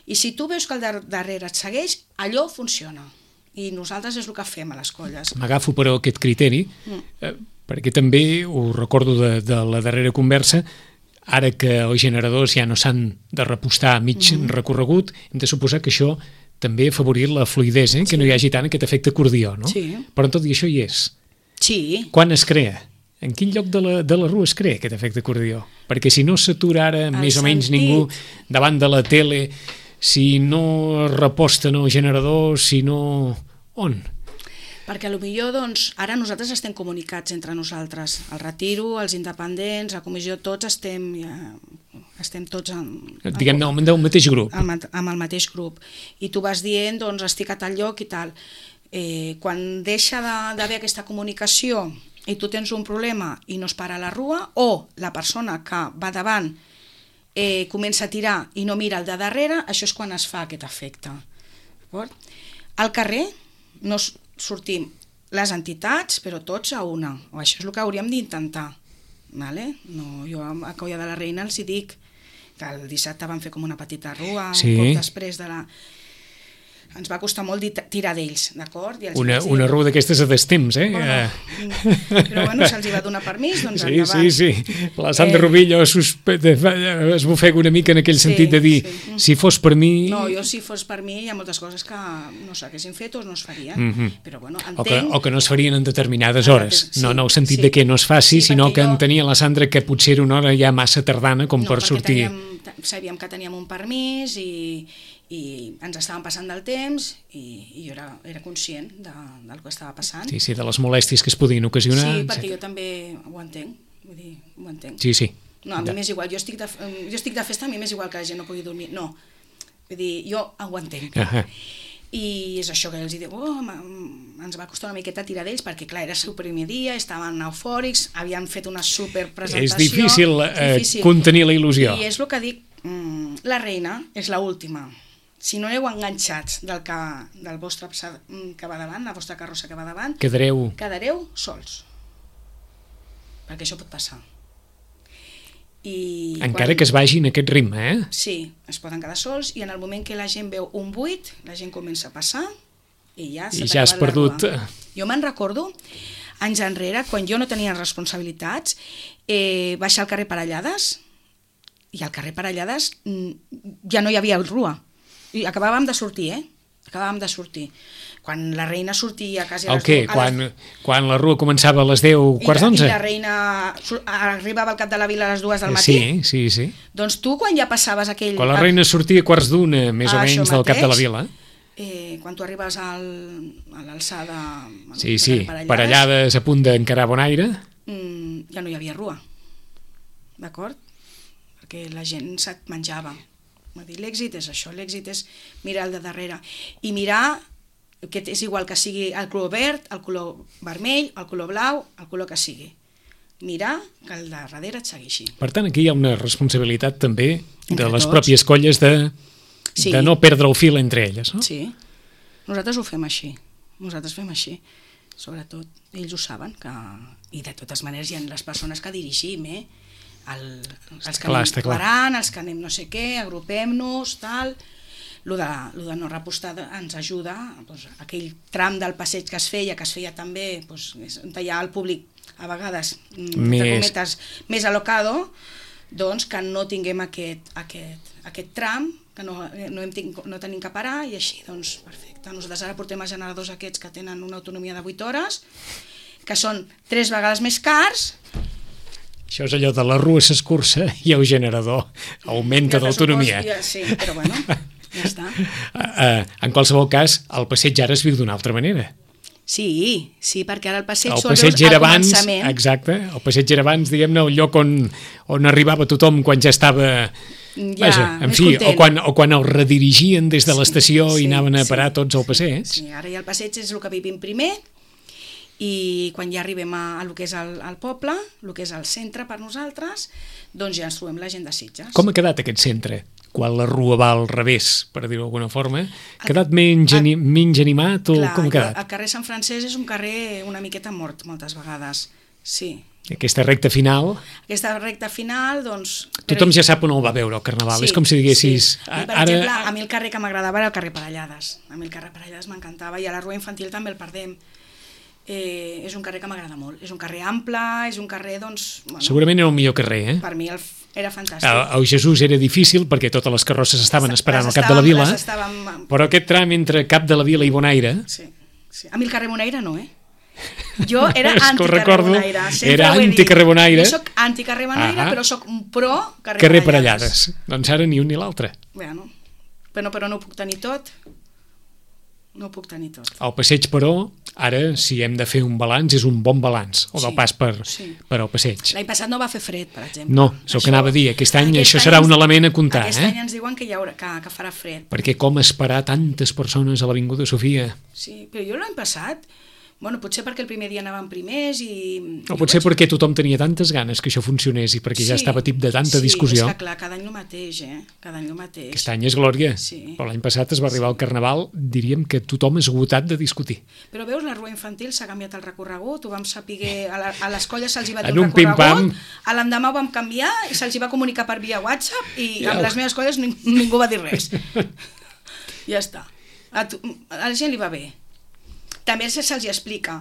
I si tu veus que el de darrere et segueix, allò funciona. I nosaltres és el que fem a les colles. M'agafo, però, aquest criteri, mm. eh, perquè també ho recordo de, de la darrera conversa, ara que els generadors ja no s'han de repostar a mig mm. recorregut, hem de suposar que això també ha afavorit la fluïdesa, eh? Que sí. No hi hagi tant aquest efecte acordió, no? Sí. Però tot i això hi és. Sí. Quan es crea? En quin lloc de la, de la rua es crea aquest efecte acordió? Perquè si no s'atura ara el més sentit. O menys ningú davant de la tele, si no reposten el generador, si no... On? Perquè potser doncs, ara nosaltres estem comunicats entre nosaltres. El Retiro, els independents, la comissió, tots estem, ja, estem tots en, diguem-ne, en, del mateix grup. Amb, amb el mateix grup. I tu vas dient, doncs, estic a tal lloc i tal. Eh, quan deixa d'haver aquesta comunicació i tu tens un problema i no es para la rua, o la persona que va davant eh, comença a tirar i no mira el de darrere, això és quan es fa aquest efecte. Al carrer no sortim les entitats, però tots a una, o això és el que hauríem d'intentar. Vale? No, jo a Colla de la Reina els hi dic que el dissabte van fer com una petita rua, sí. Un cop després de la... Ens va costar molt tirar d'ells, d'acord? Una, una rua d'aquestes a destemps, eh? Bueno, però bueno, se'ls hi va donar permís, doncs sí, endavant. Sí, sí, la Sandra eh... Rubillo es bufega una mica en aquell sí, sentit de dir, sí. Si fos per mi... No, jo si fos per mi hi ha moltes coses que no s'haguessin fet o no es farien, mm -hmm. però bueno, entenc... O que, o que no es farien en determinades hores, sí, no en el sentit sí. de que no es faci, sí, sinó que jo... entenia la Sandra que potser era una hora ja massa tardana com no, per sortir... Teníem, sabíem que teníem un permís i... i ens estàvem passant del temps i, i jo era, era conscient de, del que estava passant. Sí, sí, de les molèsties que es podien ocasionar. Sí, perquè etcètera. Jo també ho entenc, vull dir, ho entenc. Sí, sí. No, a mi m'és igual, jo estic, de, jo estic de festa, a mi m'és igual que la gent no pugui dormir, no. Vull dir, jo ho entenc. Uh -huh. I és això que els dic, oh, ens va costar una miqueta tirar d'ells, perquè clar, era el seu primer dia, estaven eufòrics, havien fet una superpresentació. És difícil, eh, difícil contenir la il·lusió. I és el que dic, mm, la reina és l'última. Si no aneu enganxats del, que, del vostre que va davant, la vostra carrossa que va davant, quedareu, quedareu sols. Perquè això pot passar. I encara quan... que es vagi en aquest ritme, eh? Sí, es poden quedar sols i en el moment que la gent veu un buit, la gent comença a passar i ja s'ha I ja has perdut... Jo me'n recordo, anys enrere, quan jo no tenia responsabilitats, eh, baixar al carrer Parellades, i al carrer Parellades ja no hi havia rua. I acabàvem de sortir, eh? Acabàvem de sortir. Quan la reina sortia quasi a les... El què? Quan, les... quan la rua començava a les deu, quarts d'onze? I la reina arribava al cap de la vila a les dues del matí? Sí, sí, sí. Doncs tu, quan ja passaves aquell... Quan la reina sortia a quarts d'una, més o menys, del cap de la vila. Eh, quan tu arribes al, a l'alçada... Sí, sí, Parellades a punt d'encarar Bonaire. Mm, que no hi havia rua, d'acord? Perquè la gent se't menjava. L'èxit és això, l'èxit és mirar el de darrere. I mirar, que és igual que sigui el color verd, el color vermell, el color blau, el color que sigui. Mirar que el de darrere et segueixi. Per tant, aquí hi ha una responsabilitat també de Entre les tots. pròpies colles de, Sí. de no perdre el fil entre elles, no? Sí, nosaltres ho fem així, nosaltres fem així, sobretot, ells ho saben, que... i de totes maneres hi ha les persones que dirigim, eh? El, els que Clar, anem està clar. parant, els que anem no sé què, agrupem-nos, tal... Lo de, lo de no repostar ens ajuda, doncs, aquell tram del passeig que es feia, que es feia també, doncs, on hi ha el públic a vegades, Més. entre cometes, més alocado, doncs que no tinguem aquest, aquest, aquest tram, que no, no, hem tinc, no tenim que parar, i així, doncs, perfecte. Nosaltres ara portem els generadors aquests que tenen una autonomia de vuit hores, que són tres vegades més cars. Això és allò de la rua s'escurça i el generador augmenta I el d'autonomia. pressupost, ja, sí, però bueno, ja està. Uh, uh, en qualsevol cas, el passeig ara es viu d'una altra manera. Sí, sí, perquè ara el passeig El sol passeig veus al era abans, començament. exacte, el passeig era abans, diguem-ne, el lloc on, on arribava tothom quan ja estava... Ja, Vaja, en més fi, content. o quan, o quan el redirigien des de l'estació sí, i anaven a sí. parar tots al passeig. Sí, ara ja el passeig és el que vivim primer, i quan ja arribem a, a lo que és el, el poble, el que és el centre per nosaltres, doncs ja ens trobem la gent de Sitges. Com ha quedat aquest centre? Quan la rua va al revés, per dir-ho d'alguna forma, ha quedat menys, ani menys animat o Clar, com ha quedat? El carrer Sant Francesc és un carrer una miqueta mort moltes vegades, sí. Aquesta recta final, Aquesta recta final, doncs... tothom ja sap on el va veure, el Carnaval. És com si diguessis... Sí. A mi, per ara... exemple, a mi el carrer que m'agradava era el carrer Parellades. A mi el carrer Parellades m'encantava, i a la rua infantil també el perdem. Eh, és un carrer que m'agrada molt. És un carrer ample, és un carrer, doncs... Bueno, Segurament era el millor carrer, eh? per mi el, era fantàstic. El, el Jesús era difícil perquè totes les carrosses estaven esperant Les al cap de la estàvem- vila, les estàvem- però aquest tram entre cap de la vila i Bonaire... Sí, sí. A mi el carrer Bonaire no, eh? Jo era És que ho anti-carrer recordo, Bonaire. sempre era ho he dit. anti-carrer Bonaire. Jo soc anti-carrer Bonaire, Ah. però soc un pro carrer, Carrer Parellades. Parellades. Doncs ara ni un ni l'altre. Bueno, però, però no ho puc tenir tot. No ho puc tenir tot. El passeig, però, ara, si hem de fer un balanç, és un bon balanç, o del Sí, pas per, sí. per al passeig. L'any passat no va fer fred, per exemple. No, és el que anava a dir. Aquest any això serà un element a comptar, aquest eh? any ens diuen que, hi haurà, que, que farà fred. Perquè com esperar tantes persones a l'Avinguda Sofia? Sí, però jo l'any passat, bueno, potser perquè el primer dia anàvem primers i... O potser perquè tothom tenia tantes ganes que això funcionés i perquè ja estava tip de tanta sí, discussió. Sí, és que clar, cada any el mateix, eh? Cada any el mateix. Aquest any és glòria, Sí. però l'any passat es va arribar al Carnaval, diríem que tothom és esgotat de discutir. Però veus, la rua infantil s'ha canviat el recorregut, ho vam saber, a, la, a les colles se'ls hi va dir En un un pim-pam. recorregut, a l'endemà ho vam canviar i se'ls hi va comunicar per via WhatsApp i Ja. amb les meves colles ning ningú va dir res. Ja està. A, tu, a la gent li va bé. També se'ls hi explica.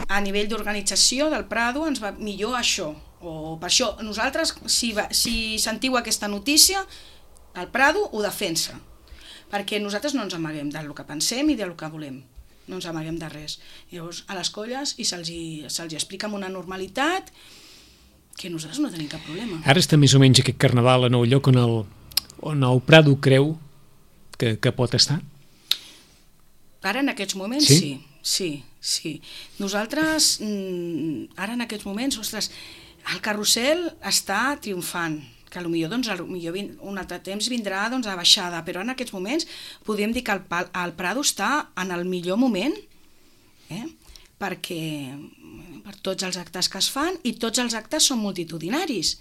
A nivell d'organització del Prado ens va millor això, o per això nosaltres, si, va, si sentiu aquesta notícia, el Prado ho defensa, perquè nosaltres no ens amaguem del que pensem i del que volem, no ens amaguem de res. Llavors, a les colles i se'ls hi, se'ls hi explica amb una normalitat que nosaltres no tenim cap problema. Ara està més o menys aquest Carnaval en el lloc on el, on el Prado creu que, que pot estar? Ara en aquests moments Sí? sí, sí, sí. Nosaltres, mm, ara en aquests moments, ostres, el carrusel està triomfant, que potser doncs, a lo millor vin, un altre temps vindrà doncs, a baixada, però en aquests moments podem dir que el, pal- el Prado està en el millor moment, eh? perquè per tots els actes que es fan, i tots els actes són multitudinaris,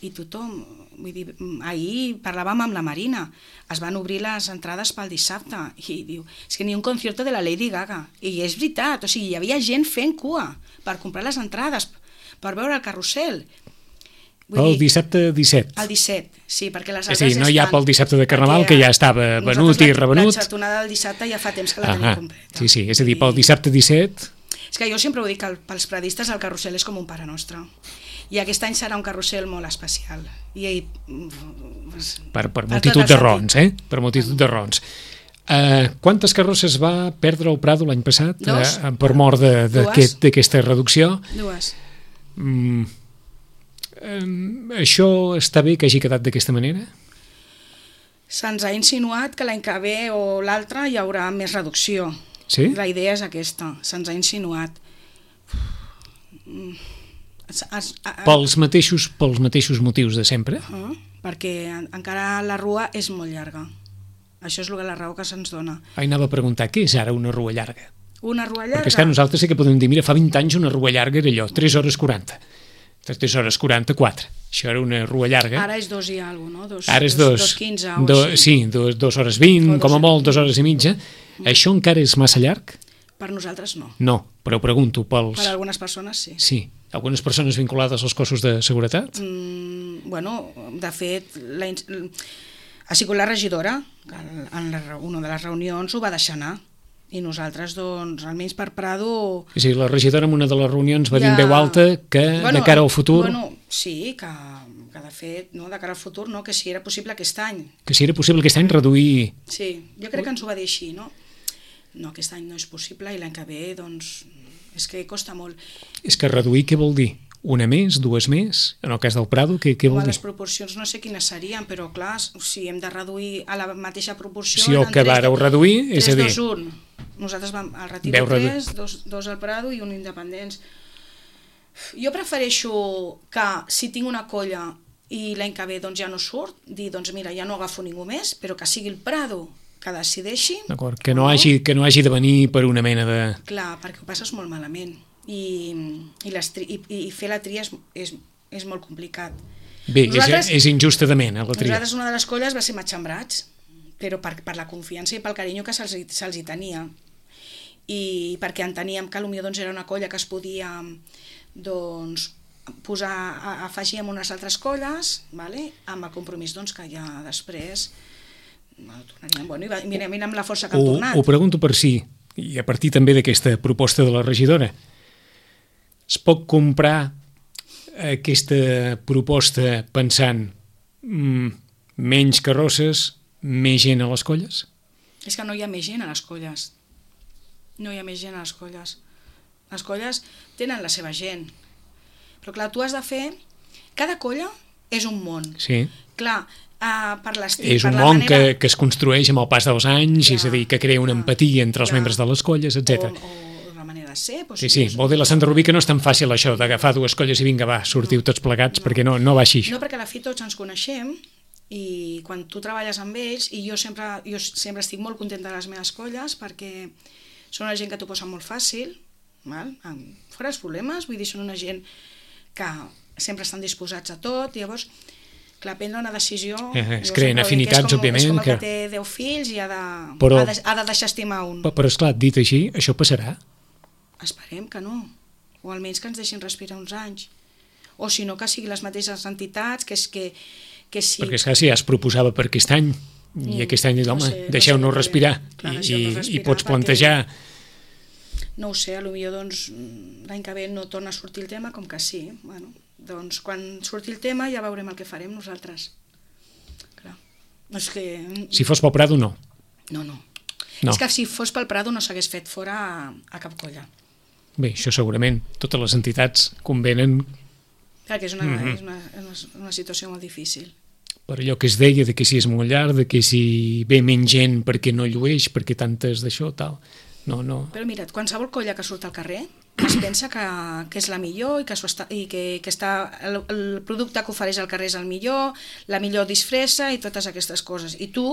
i tothom, vull dir, ahir parlàvem amb la Marina, es van obrir les entrades pel dissabte, i diu, és que ni un concierto de la Lady Gaga, i és veritat, o sigui, hi havia gent fent cua per comprar les entrades, per veure el carrusel. El dissabte disset. El disset, sí, perquè les És a altres dir, no ja hi ha estan, pel dissabte de Carnaval, perquè que ja estava venut nosaltres i la- revenut. La xatonada del dissabte ja fa temps que la Ah, tenim completa. sí, sí, és a dir, pel I- dissabte disset... És que jo sempre ho dic, que el- pels pradistes el carrusel és com un pare nostre. I aquest any serà un carrusel molt especial. I, i Per, per per multitud tot el de sentit. rons, eh? Per multitud de rons. Uh, quantes carrosses va perdre el Prado l'any passat Dos. uh, per mort d'aquesta aquest, reducció? Dues. Mm, um, això està bé que hagi quedat d'aquesta manera? Se'ns ha insinuat que l'any que ve o l'altre hi haurà més reducció. Sí? La idea és aquesta, se'ns ha insinuat. Mm. Es, es, a, Pels mateixos, pels mateixos motius de sempre? Uh, perquè en, encara la rua és molt llarga. Això és la raó que se'ns dona. Ai, anava a preguntar, què és ara una rua llarga? Una rua llarga? Perquè és que nosaltres sí que podem dir, mira, fa vint anys una rua llarga era allò, tres hores quaranta. tres hores quaranta-quatre. Això era una rua llarga. Ara és dos i alguna cosa, no? Dos, Ara és dos, dos, dos quinze o do, així. Sí, dos, dos hores vint, dos, com a molt, dues hores i mitja. Mm. Això encara és massa llarg? Per nosaltres no. No, però pregunto pels... Per algunes persones sí. Sí. Algunes persones vinculades als cossos de seguretat? Mm, bueno, de fet, la, ha sigut la regidora, que en la, una de les reunions ho va deixar anar. I nosaltres, doncs, almenys per Prado... Sí, la regidora en una de les reunions va ja... dir en veu alta que bueno, de cara al futur... Bueno, sí, que, que de fet, no, de cara al futur, no, que si era possible aquest any. Que si era possible aquest any reduir... Sí, jo crec que ens ho va dir així, no? No, aquest any no és possible i l'any que ve, doncs, és que costa molt. És que reduir què vol dir? Una més, dues més? En el cas del Prado, què, què vol Home, dir? les proporcions no sé quines serien, però clar, si hem de reduir a la mateixa proporció... Si el que vareu reduir, és a dir... tres, dos, un. Nosaltres vam al Retiro tres, dos, dos al Prado i un independents. Jo prefereixo que si tinc una colla i l'any que ve doncs, ja no surt, dir, doncs mira, ja no agafo ningú més, però que sigui el Prado que decideixi... D'acord, que, no hagi, que no hagi de venir per una mena de... Clar, perquè ho passes molt malament i, i, les tri, i, i fer la tria és, és, és molt complicat. Bé, és, és injustament, eh, la tria. Nosaltres una de les colles va ser Matxembrats, però per, per la confiança i pel carinyo que se'ls se hi tenia. I perquè enteníem que potser doncs, era una colla que es podia doncs, posar, a, afegir en unes altres colles, vale? Amb el compromís doncs, que ja després tornaríem. Bueno, i va, mira, mira amb la força que han ho, tornat. Ho pregunto per si, i a partir també d'aquesta proposta de la regidora, es pot comprar aquesta proposta pensant mm, menys carrosses, més gent a les colles? És que no hi ha més gent a les colles. No hi ha més gent a les colles. Les colles tenen la seva gent. Però clar, tu has de fer... Cada colla és un món. Sí. Clar, uh, per l'estil... És un per món manera... que, que es construeix amb el pas dels anys, ja, és a dir, que crea una empatia entre els ja. membres de les colles, etcètera. O, o la manera de ser... Doncs, sí, sí, vol dir la Santa Rubí que no és tan fàcil això d'agafar dues colles i vinga, va, sortiu tots plegats, no. perquè no, no va així. No, perquè a la fi tots ens coneixem i quan tu treballes amb ells, i jo sempre, jo sempre estic molt contenta de les meves colles perquè són una gent que t'ho posa molt fàcil, val? Fora els problemes, vull dir, són una gent que sempre estan disposats a tot, i llavors, clar, prendre una decisió... Eh, es creen afinitats, és com, òbviament. És com el que, que té deu fills i ha de, però, ha de, ha de deixar estimar un. Però, però esclar, dit així, això passarà? Esperem que no, o almenys que ens deixin respirar uns anys. O si no, que siguin les mateixes entitats, que és que... que sí. Perquè esclar, si ja es proposava per aquest any, i mm, aquest any dius, home, no sé, deixeu-nos no sé respirar, clar, i, deixeu respirar, i pots plantejar... No ho sé, potser doncs, l'any que ve no torna a sortir el tema, com que sí. Bueno, doncs quan surti el tema ja veurem el que farem nosaltres. Clar. És que... Si fos pel Prado, no. No, no. no. És que si fos pel Prado no s'hagués fet fora a, a cap colla. Bé, això segurament. Totes les entitats convenen... Clar, que és una, mm-hmm. és una, és una situació molt difícil. Per allò que es deia, de que si és molt llarg, de que si ve menys gent perquè no llueix, perquè tantes d'això, tal... No, no. Però mira't, qualsevol colla que surt al carrer es pensa que, que és la millor i que, està, i que, que està, el, el producte que ofereix al carrer és el millor, la millor disfressa i totes aquestes coses. I tu,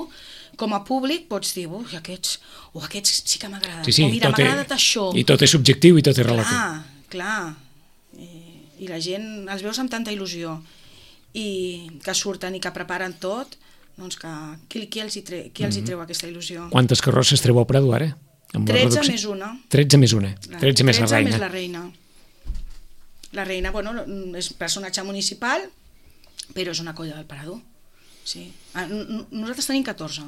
com a públic, pots dir, ui, aquests, oh, aquests sí que m'agraden, sí, sí, o mira, m'ha és, agradat això. I tot és subjectiu i tot és relatiu. Clar, clar. I, I la gent els veus amb tanta il·lusió i que surten i que preparen tot, doncs que qui, qui els, hi tre, qui els hi treu aquesta il·lusió? Quantes carrosses treu al Prado ara? tretze més una. tretze més una. tretze més la reina. Més la reina. La reina, bueno, és personatge municipal, però és una colla del Parador. Sí. Nosaltres tenim catorze.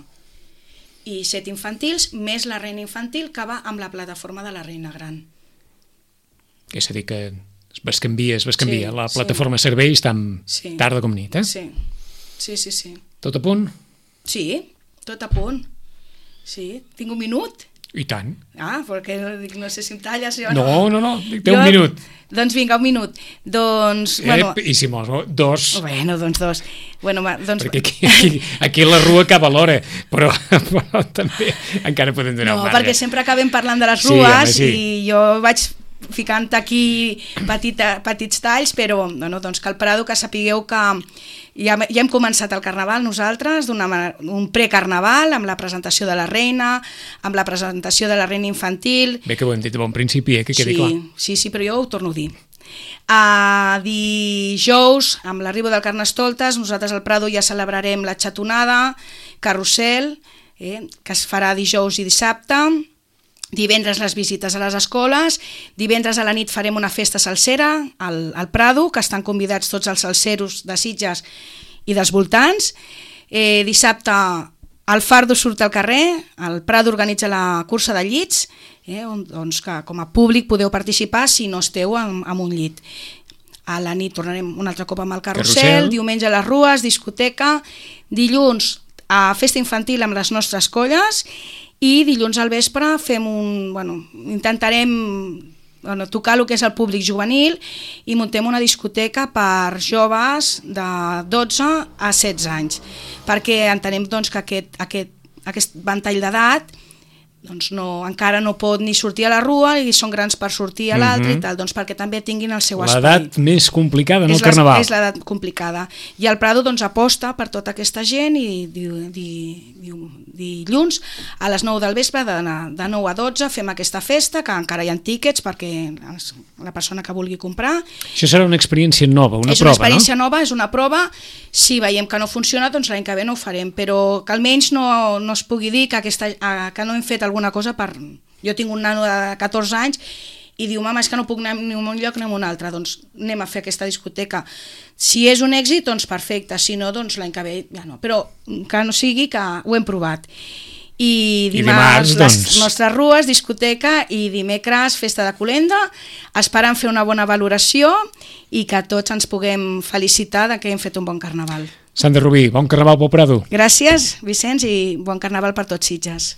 I set infantils, més la reina infantil, que va amb la plataforma de la reina gran. És a dir, que es bescanvia, es bescanvia. Sí, la plataforma sí. serveis tant sí. tarda com nit, eh? Sí. Sí, sí, sí. Tot a punt? Sí, tot a punt. Sí, tinc un minut. I tant. Ah, perquè no sé si em talles o no. No, no, no, té jo, un minut. Doncs vinga, un minut. Doncs, eh, bueno... I si mos, dos. Bueno, doncs dos. Bueno, doncs... Perquè aquí, aquí, aquí la rua acaba l'hora, però, però també encara podem donar no, un marge. No, perquè sempre acabem parlant de les rues sí, home, sí. i jo vaig ficant aquí petita, petits talls, però bueno, doncs que el Prado, que sapigueu que ja, ja hem començat el Carnaval nosaltres, un precarnaval, amb la presentació de la reina, amb la presentació de la reina infantil. Bé que ho hem dit a bon principi, eh, que quedi sí, clar. Sí, sí, però jo ho torno a dir. A dijous, amb l'arribo del Carnestoltes, nosaltres al Prado ja celebrarem la xatonada, carrusel, eh, que es farà dijous i dissabte. Divendres les visites a les escoles, divendres a la nit farem una festa salsera al, al Prado, que estan convidats tots els salseros de Sitges i dels voltants. Eh, dissabte el Fardo surt al carrer, el Prado organitza la cursa de llits, eh, on, doncs que com a públic podeu participar si no esteu en, en un llit. A la nit tornarem un altre cop amb el carrusel, carrusel. Diumenge a les rues, discoteca, dilluns a festa infantil amb les nostres colles, i dilluns al vespre fem un, bueno, intentarem bueno, tocar el que és el públic juvenil i muntem una discoteca per joves de dotze a setze anys, perquè entenem doncs, que aquest, aquest, aquest ventall d'edat doncs no, encara no pot ni sortir a la rua i són grans per sortir a l'altre, uh-huh. i tal, doncs perquè també tinguin el seu espai. L'edat més complicada en el Carnaval. És l'edat complicada. I el Prado doncs, aposta per tota aquesta gent i di, di, di, dilluns a les nou del vespre, de, de nou a dotze, fem aquesta festa, que encara hi ha tíquets perquè la persona que vulgui comprar. Això serà una experiència nova, una és prova, no? És una experiència nova, és una prova. Si veiem que no funciona, doncs l'any que ve no ho farem, però que almenys no, no es pugui dir que, aquesta, que no hem fet alguna cosa per... Jo tinc un nano de catorze anys i diu, mama, és que no puc anar ni a un lloc ni a un altre, doncs anem a fer aquesta discoteca. Si és un èxit, doncs perfecte, si no, doncs l'any que ve ja no, però que no sigui que ho hem provat. I dimarts, I dimarts doncs... les nostres rues, discoteca, i dimecres festa de Colenda, esperant fer una bona valoració i que tots ens puguem felicitar de que hem fet un bon carnaval. Sandra Rubí, bon carnaval pel Prado. Gràcies, Vicenç, i bon carnaval per tots Sitges.